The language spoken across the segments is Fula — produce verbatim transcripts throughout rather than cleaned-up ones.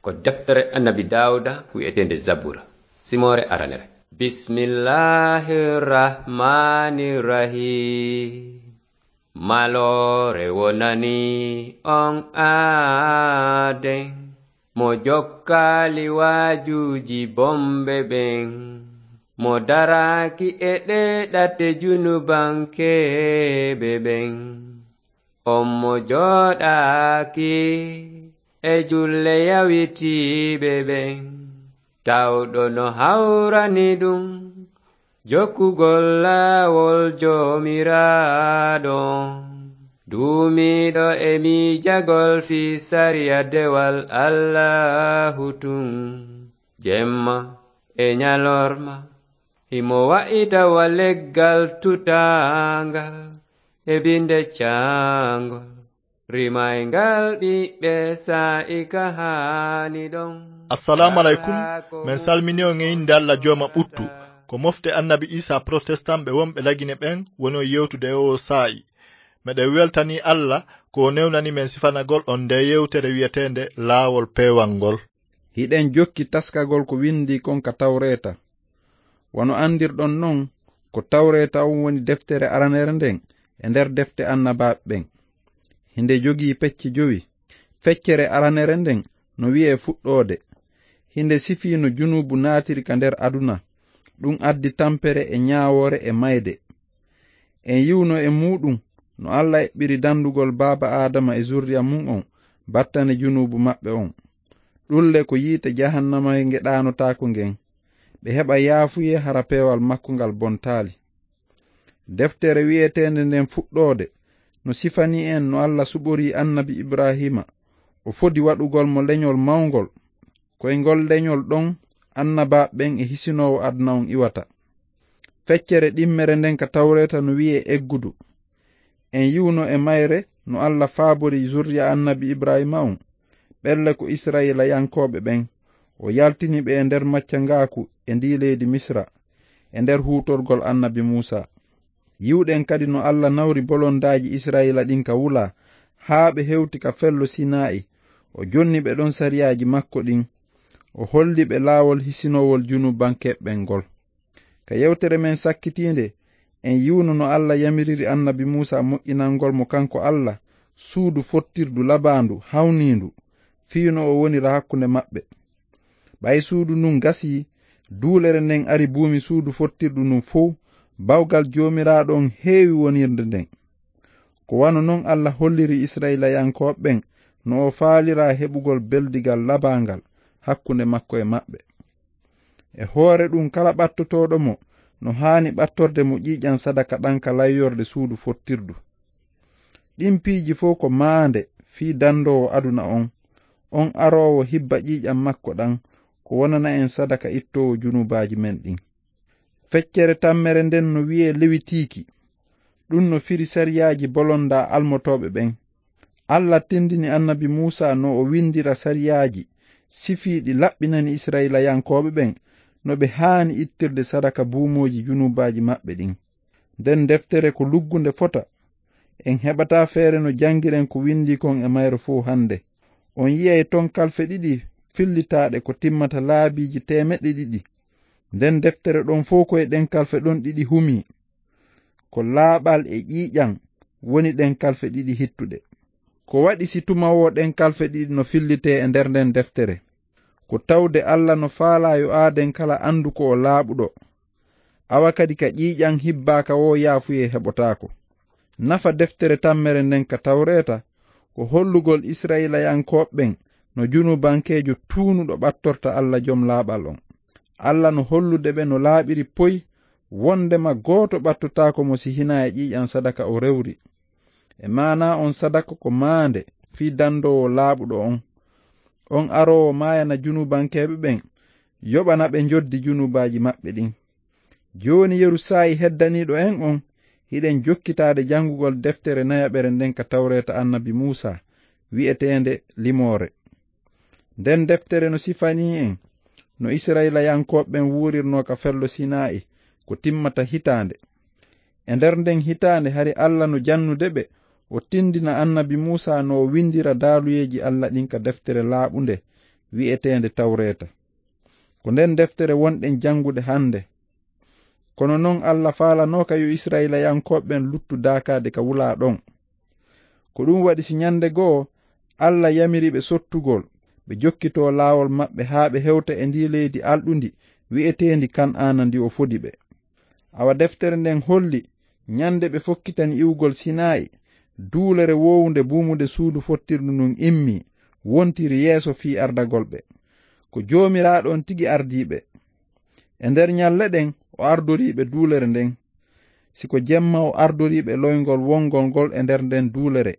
Ko deftere Annabi Daawuda wi'eteende Zabura, simoore aranere. Bismillahir Rahmanir Rahim. Maloore wonani on aaden, mo jokkaali waajuuji bonɓe ɓen, mo daraaki e ɗee ɗate junubankeeɓe ɓen. On mo jooɗaaki e julle yawitiiɓe ɓen, tawɗo no hawrani ɗum jokkugol laawol Joomiraaɗo, duumiiɗo e miijagol fii sariya dewal Allaahu tun, jemma e ñalorma. Himo wa'ita wa leggal tutaangal e binde caangol, rimayngal ɓiɓɓe saa'i ka haani ɗon. Assalamu alaikum. Men salmini on e innde Alla Jooma ɓuttu. Ko mofte Annabi Isa Protestant ɓe wonɓe Lagine ɓen woni on yewtude e oo saa'i. Meɗen weltanii Alla ko o newnani men sifanagol on ndee yewtere wi'eteende Laawol Peewal ngol. Hiɗen jokki taskagol ko windii kon ka Tawreeta. Wano andirɗon non, ko Tawreeta on woni deftere aranere nden e nder defte annabaaɓe ɓen. Hinde jogii pecce jowi. Feccere aranere nden no wi'ee Fuɗɗoode. Hinde sifii no junuubu naatiri ka nder aduna. Ɗum addi tampere e ñaawoore e mayde. En yi'uno e muuɗum no Alla eɓɓiri dandugol baaba Aadama e zurriya mun on battane junuubu maɓɓe on. Ɗulle ko yiite jahannama nge ɗaanotaako ngen. Ɓe heɓa yaafuyee hara peewal makko ngal bontaali. Deftere wi'eteende nden Fuɗɗoode no sifanii en no Alla suɓorii Annabi Ibraahiima, o fodi waɗugol mo leñol mawngol. Ko e ngol leñol ɗon annabaaɓe ɓen e hisinoowo aduna on iwata. Feccere ɗimmere nden ka Tawreeta no wi'ee Eggudu. En yi'uno e mayre no Alla faabori zurriya Annabi Ibraahiima on, ɓelle ko Isra'iilayankooɓe ɓen. O yaltini ɓe e nder maccangaaku e ndii leydi Misra, e nder huutorgol Annabi Muusaa. Yi'uɗen kadi no Alla nawri bolondaaji Isra'iila ɗin ka wula, haa ɓe hewti ka fello Sinaa'i. O jonni ɓe ɗon sariyaaji makko ɗin. O holli ɓe laawol hisinoowol junubankeeɓe ɓen ngol. Ka yewtere men sakkitiinde, en yi'uno no Alla yamiriri Annabi Muusaa moƴƴinangol mo kanko Alla suudu fottirdu labaandu, hawniindu, fii no o wonira hakkunde maɓɓe. Ɓay suudu ndun gasii, duulere nden ari buumi suudu fottirdu ndun fow, bawgal Joomiraaɗo on heewi wonirde nden. Ko wano non Alla holliri Isra'iilayankooɓe ɓen no o faaliraa heɓugol beldigal labaangal hakkunde makko e maɓɓe. E hoore ɗum, kala ɓattotooɗo mo no haani ɓattorde mo ƴiiƴan sadaka ɗan ka layyorde suudu fottirdu. Ɗin piiji fow ko maande fii dandoowo aduna on, on aroowo hibba ƴiiƴan makko ɗan, ko wonana en sadaka ittoowo junubaaji men ɗin. Feccere tammere nden no wi'ee Lewitiiki. Ɗum no firi sariyaaji bolondaa almotooɓe ɓen. Alla tindini Annabi Muusaa no o windira sariyaaji sifiiɗi laɓɓinani Isra'iilayankooɓe ɓen no ɓe haani ittirde sadaka buumooji junubaaji maɓɓe ɗin. Nden deftere ko luggunde fota. En heɓataa feere no janngiren ko windii kon e mayre fow hannde. On yi'ay ton kalfe ɗiɗi fillitaaɗe ko timmata laabiiji teemeɗɗe ɗiɗi. Nden deftere ɗon fow ko e ɗen kalfe ɗon ɗiɗi humii. Ko laaɓal e ƴiiƴan woni ɗen kalfe ɗiɗi hittuɗe. Ko waɗi si tuma woo ɗen kalfe ɗiɗi no fillitee e nder nden deftere? Ko tawde Alla no faalaa yo aaden kala anndu ko o laaɓuɗo. Awa kadi ka ƴiiƴan hibbaaka woo yaafuyee heɓotaako. Nafa deftere tammere nden ka Tawreeta ko hollugol Isra'iilayankooɓe ɓen no junubankeejo tuunuɗo ɓattorta Alla Jom Laaɓal on. Alla no hollude ɓe no laaɓiri poy wondema gooto ɓattotaako mo si hinaa e ƴiiƴan sadaka o rewri. E maanaa on sadaka ko maande fii dandoowo laaɓuɗo on. On aroowo maayana junubankeeɓe ɓen, yoɓana ɓe njoddi junubaaji maɓɓe ɗin. Jooni yeru saa'i heddaniiɗo en on, hiɗen jokkitaade janngugol deftere nayaɓere nden ka Tawreeta Annabi Muusaa, wi'eteende Limoore. Nden deftere no sifanii en no Isra'iilayankooɓe ɓen wuurirnoo ka fello Sinaa'i ko timmata hitaande. E nder nden hitaande hari Alla no jannude ɓe, o tindina Annabi Muusaa no o windira daaluyeeji Alla ɗin ka deftere laaɓunde, wi'eteende Tawreeta. Ko nden deftere wonɗen janngude hannde. Kono non, Allah faalanooka yo Isra'ilayankooɓe ɓen luttu daakaade ka wulaa ɗon. Ko ɗum waɗi, si ɲande goo Allah yamiri ɓe sottugol, ɓe jokkitoo laawol maɓɓe haa ɓe hewta e ndii leydi alɗundi wi'eteendi Kan'aana, ndi o fodi ɓe. Awa deftere nden holli, ɲande ɓe fokkitani iwgol Sinaayi, duulere woowunde buumude suudu fottirdu ndun immii, wontiri yeeso fii ardagol ɓe. Ko Joomiraaɗo on tigi ardii ɓe. E nder ɲalle ɗen, o ardorii ɓe duulere nden. Si ko jemma, o ardorii ɓe loyngol wongol ngol e nder nden duulere,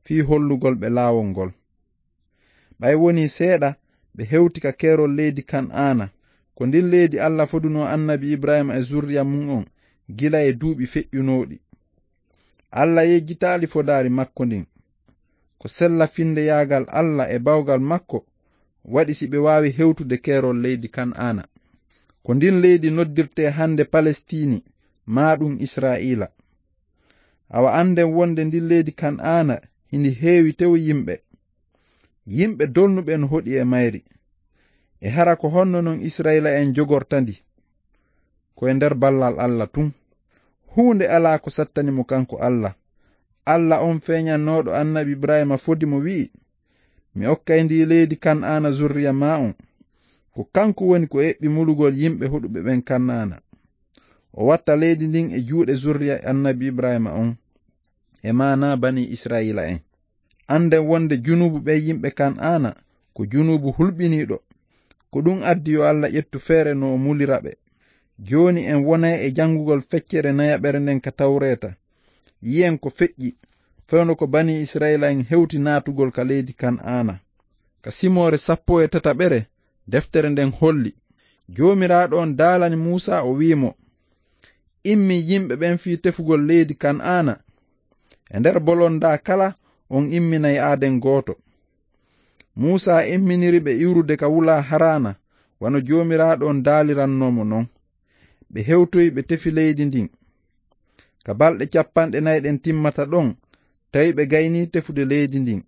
fii hollugol ɓe laawol ngol. Ɓay wonii seeɗa, ɓe hewti ka keerol leydi Kan'aana. Ko ndin leydi Allah fodunoo annabi Ibrahiima e zurriya mun on gila e duuɓi feƴƴunooɗi. Allah yejjitaali fodaari makko ndin. Ko sella finndeyaagal Allah e bawgal makko waɗi si ɓe waawi hewtude keerol leydi Kan'aana. Ko ndin leydi noddirtee hannde Palestiini, maa ɗum Isra'iila. Awa annden wonde ndin leydi Kan'aana hini heewi tew yimɓe. Yimɓe dolnuɓe no hoɗi e mayri. E hara ko honno non Isra'iila'en jogorta ndi? Ko e nder ballal Allah tun. Huunde alaa ko sattani mo kanko Allah. Allah on feeɲannooɗo annabi Ibrahiima fodi mo wi'i, "Mi okkay ndi leydi Kan'aana zurriya maa on." Ko kanko woni ko eɓɓi mulugol yimɓe hoɗuɓe ɓen Kan'aana. O watta leydi ndin e juuɗe zurriya annabi Ibrahiima on, e maanaa banii Isra'iila'en. Annden wonde junuubu ɓen yimɓe Kan'aana ko junuubu hulɓiniiɗo. Ko ɗum addi yo Allah ƴettu feere no o mulira ɓe. Jooni en wonay e janngugol feccere nayaɓere nden ka Tawreeta. Yi'en ko feƴƴi, fewndo ko banii Isra'iila'en hewti naatugol ka leydi Kan'aana. Ka simoore sappo e tataɓere, deftere nden holli, Joomiraaɗo on daalani Muusaa, o wi'i mo, "Immin yimɓe ɓen fii tefugol leydi Kan'aana. E nder bolondaa kala, on imminay aaden gooto." Muusaa imminiri ɓe iwrude ka wulaa Haraana, wano Joomiraaɗo on daalirannoo mo non. Ɓe hewtoyi, ɓe tefi leydi ndin. Ka balɗe cappanɗe nayi ɗen timmata ɗon, tawi ɓe gaynii tefude leydi ndin.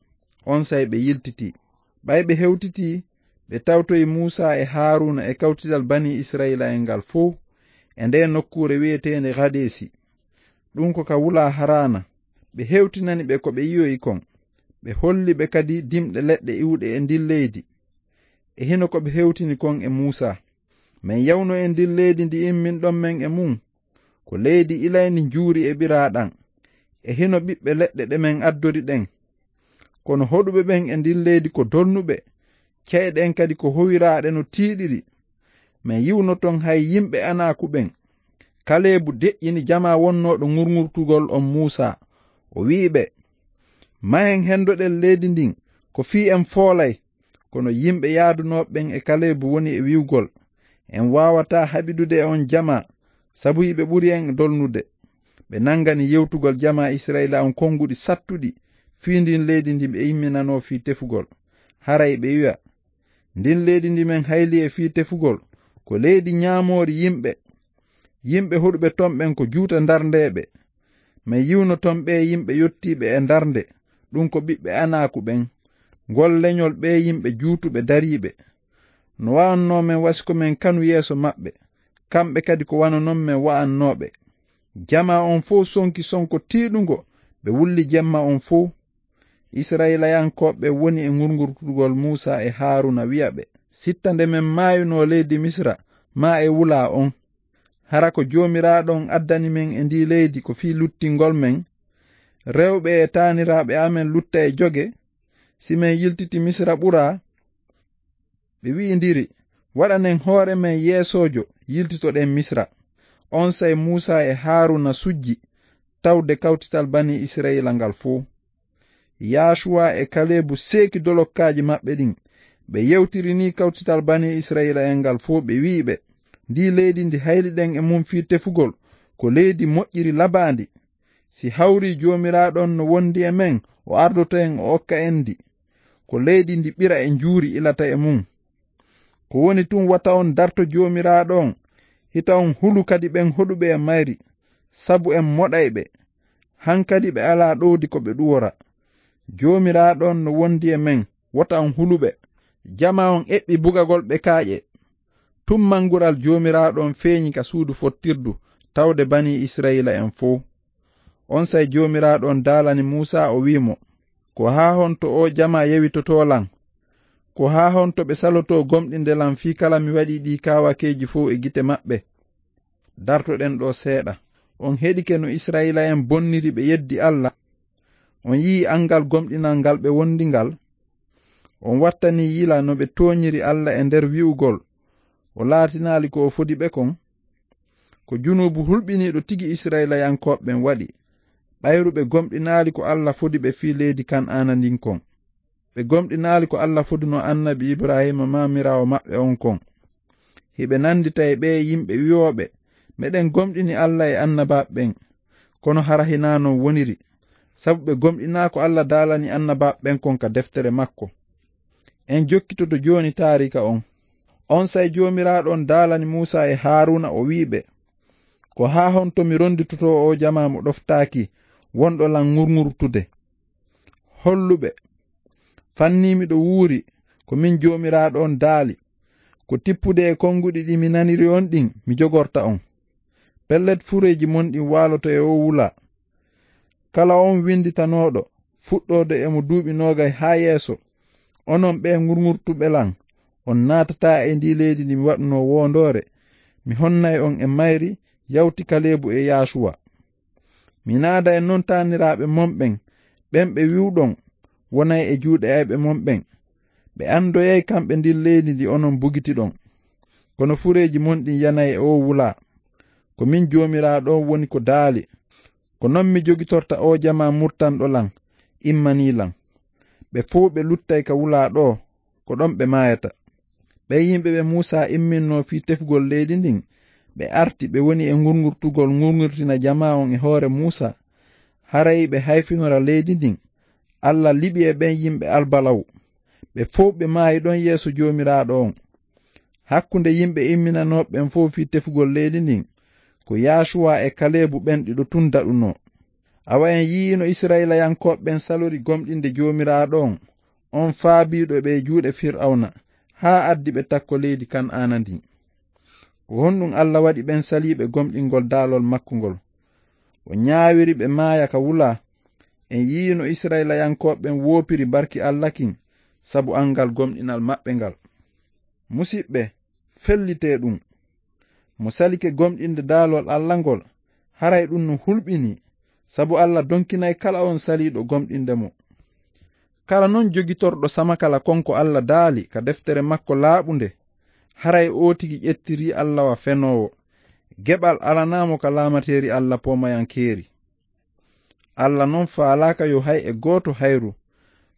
Onsay ɓe yiltitii. Ɓay ɓe hewtitii, ɓe tawtoyi Muusaa e Haaruuna e kawtital banii Isra'iila'en ngal fow e ndee nokkuure wi'eteende Hadeesi. Ɗum ko ka wulaa Haraana. Ɓe hewtinani ɓe ko ɓe yi'oyi kon. Ɓe holli ɓe kadi dimɗe leɗɗe iwɗe e ndin leydi. E hino ko ɓe hewtini kon e Muusaa. Men yawno e ndin leydi ndi imminɗon men e mun. Ko leydi ilayndi njuuri e ɓiraaɗam. E hino ɓiɓɓe leɗɗe ɗe men addori ɗen. Kono hoɗuɓe ɓen e ndin leydi ko dolnuɓe. Ca'e ɗen kadi ko howiraaɗe no tiiɗiri. Men yi'uno ton hay yimɓe Anaaku ɓen. Kaleebu deƴƴini jamaa wonnooɗo ŋurŋurtugol on Muusaa. O wi'i ɓe, "Mahen hendoɗen leydi ndin, ko fii en foolay." Kono yimɓe yaadunooɓe ɓen e Kaleebu woni e wi'ugol, "En waawataa haɓidude e on jamaa, sabu hiɓe ɓuri en dolnude." Ɓe nangani yewtugol jamaa Isra'iila on konguɗi sattuɗi fii ndin leydi ndi ɓe imminanoo fii tefugol. Haray ɓe wi'a, "Ndin leydi ndi men hayli e fii tefugol, ko leydi ɲaamoori yimɓe. Yimɓe hoɗuɓe ton ɓen ko juuta ndarndeeɓe. Men yi'uno ton ɓee yimɓe yottiiɓe e ndarnde, ɗum ko ɓiɓɓe Anaaku ɓen. Ngol leɲol ɓee yimɓe juutuɓe dariiɓe. No wa'annoo men wa si ko men kanu yeeso maɓɓe, kamɓe kadi ko wano non men wa'annoo ɓe." Jamaa on fow sonki sonko tiiɗungo, ɓe wulli jemma on fow. Isra'iilayankooɓe woni e ŋurŋurtugol Muusaa e Haaruuna, wi'a ɓe, "Sitta nde men maayunoo leydi Misira, maa e wulaa on. Hara ko Joomiraaɗo on addani men e ndii leydi ko fii luttingol men? Rewɓe e taaniraaɓe amen lutta e joge? Si men yiltiti Misira ɓuraa?" Ɓe wi'indiri, "Waɗanen hoore men yeesoojo, yiltitoɗen Misira." Onsay Muusaa e Haaruuna sujji tawde kawtital banii Isra'iila ngal fow. Yaasuwa e Kaleebu seeki dolokkaaji maɓɓe ɗin. Ɓe yewtiri nii kawtital banii Isra'iila'en ngal fow, ɓe wi'i ɓe, "Ndii leydi ndi hayliɗen e mun fii tefugol, ko leydi moƴƴiri labaandi. Si hawrii Joomiraaɗo on no wondi e men, o ardoto en, o okka en ndi. Ko leydi ndi ɓira e njuuri ilata e mun. Ko woni tun, wata on darto Joomiraaɗo on, hita on hulu kadi ɓen hoɗuɓe e mayri, sabu en moɗay ɓe. Hankadi ɓe alaa ɗowdi ko ɓe ɗuwora. Joomiraaɗo on no wondi e men, wota on hulu ɓe. Jama on eɓɓi bugagol ɓe kaaƴe. Tummangural Joomiraaɗo on feeñi ka suudu fottirdu tawde banii Isra'iila'en fow. Onsay Joomiraaɗo on daalani Muusaa, o wi'i mo, "Ko haa honto oo jama yewitotoo lan? Ko haa honto ɓe salotoo gomɗinde lan fii kala mi waɗii ɗii kaawakeeji fow e gite maɓɓe?" Dartoɗen ɗoo seeɗa. On heɗike no Isra'iila'en bonniri ɓe yeddi Alla? On yi'i angal gomɗinal ngal ɓe wondi ngal? On wattanii yila no ɓe tooñiri Alla e nder wi'ugol, o laatinaali ko o fodi ɓe kon? Ko junuubu hulɓiniiɗo tigi Isra'iilayankooɓe ɓen waɗi, ɓayru ɓe gomɗinaali ko Alla fodi ɓe fii leydi Kan'aana ndin kon. Ɓe gomɗinaali ko Alla foduno annabi Ibraahiima maamiraawo maɓɓe on kon. Hiɓe nandita e ɓee yimɓe wi'ooɓe, "Meɗen gomɗini Alla e annabaaɓe ɓen." Kono hara hinaa non woniri, sabu ɓe gomɗinaa ko Alla daalani annabaaɓe ɓen kon ka deftere makko. En jokkitoto jooni taariika on. Onsay Joomiraaɗo on daalani Muusaa e Haaruuna, o wi'i ɓe, "Ko haa honto mi ronditotoo oo jamaa mo ɗoftaaki, wonɗo lan ŋurŋurtude? Hollu ɓe, fannii miɗo wuuri, ko min Joomiraaɗo on daali, ko tippude e konguɗi ɗi mi naniri on ɗin mi jogorta on. Pellet, fureeji mon ɗin waaloto e oo wulaa. Kala on winditanooɗo, fuɗɗoode e mo duuɓi noogay haa yeeso, onon ɓee ŋurŋurtuɓe lan, on naatataa e ndii leydi ndi mi waɗunoo woondoore, mi honnay on e mayri, yawti Kaleebu e Yaasuwa. Mi naada e non taaniraaɓe mon ɓen, ɓen ɓe wi'uɗon wonay e juuɗe ayɓe mon ɓen. Ɓe andoyay kamɓe ndin leydi ndi onon bugitiɗon. Kono fureeji mon ɗin yanay e oo wulaa. Ko min Joomiraaɗo on woni ko daali. Ko non mi jogitorta oo jamaa murtanɗo lan, immanii lan. Ɓe fow ɓe luttay ka wulaa ɗoo, ko ɗon ɓe maayata." Ɓen yimɓe ɓe Muusaa imminnoo fii tefugol leydi ndin, ɓe arti, ɓe woni e ŋurŋurtugol ŋurŋurtina jamaa on e hoore Muusaa. Haray ɓe hayfinora leydi ndin, Alla liɓi e ɓen yimɓe albalaw. Ɓe fow ɓe maayi ɗon yeeso Joomiraaɗo on. Hakkunde yimɓe imminanooɓe ɓen fow fii tefugol leydi ndin, ko Yaasuwa e Kaleebu ɓen ɗiɗo tun daɗunoo. Awa en yi'ino Isra'iilayankooɓe ɓen salori gomɗinde Joomiraaɗo on, on faabiiɗo ɓe e juuɗe Fir'awna, haa addi ɓe takko leydi Kan'aana ndin. Ko honɗun Alla waɗi ɓen saliiɓe gomɗingol daalol makko ngol? O ñaawiri ɓe maaya ka wulaa. En yi'ino Isra'iilayankooɓe ɓen woopiri barki Alla kin, sabu angal gomɗinal maɓɓe ngal. Musiɓɓe, fellitee ɗun. Mo salike gomɗinde daalol Alla ngol, haray ɗun no hulɓinii, sabu Alla donkinay kala on saliiɗo gomɗinde mo. Kala non jogitorɗo samakala kon ko Alla daali ka deftere makko laaɓunde, haray oo tigi ƴettirii Alla wa fenoowo. Geɓal alanaa mo ka laamateeri Alla poomayankeeri. Alla non faalaaka yo hay e gooto hayru,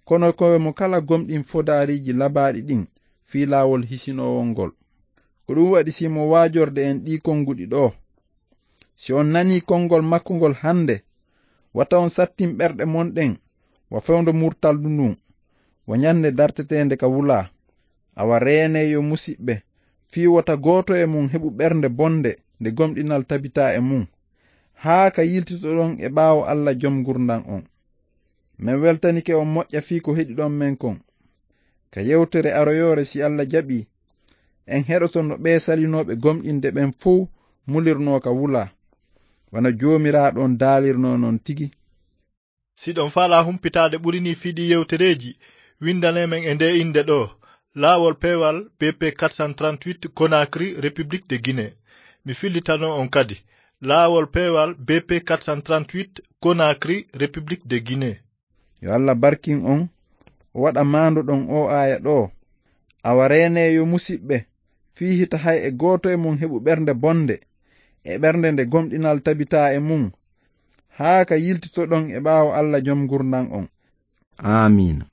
kono ko e mo kala gomɗin fodaariiji labaaɗi ɗin fii laawol hisinoowol ngol. Ko ɗun waɗi si mo waajorde en ɗii konguɗi ɗoo. Si on nanii kongol makko ngol hande, wata on sattin ɓerɗe mon ɗen, wa fewndo murtaldu ndun, wa ñande darteteende ka wulaa. Awa reenee yo musiɓɓe, fii wota gooto e mon heɓu ɓernde bonde nde gomɗinal tabitaa e mun, haa ka yiltitoɗon e ɓaawo Alla Jom ngurndan on. Men weltanike on moƴƴa fii ko heɗiɗon men kon. Ka yewtere aroyoore, si Alla jaɓii, en heɗoto no ɓee salinooɓe gomɗinde ɓen fow mulirnoo ka wulaa, wano Joomiraaɗo on daalirnoo non tigi. Si ɗon faalaa humpitaade ɓuri nii fii ɗii yewtereeji, windanee men e ndee innde ɗoo, Laawol Peewal B P quatre cent trente-huit, Conakry, République de Guinée. Mi fillitano on kadi, Laawol Peewal B P quatre cent trente-huit, Conakry, République de Guinée. Yo Alla barkin on, o waɗa maandoɗon oo aaya ɗoo. Awa reenee yo musiɓɓe, fii hita hay e gooto e mon heɓu ɓernde bonde, e ɓernde nde gomɗinal tabitaa e mun, haa ka yiltitoɗon e ɓaawo Alla Jom ngurndan on. Aamiina.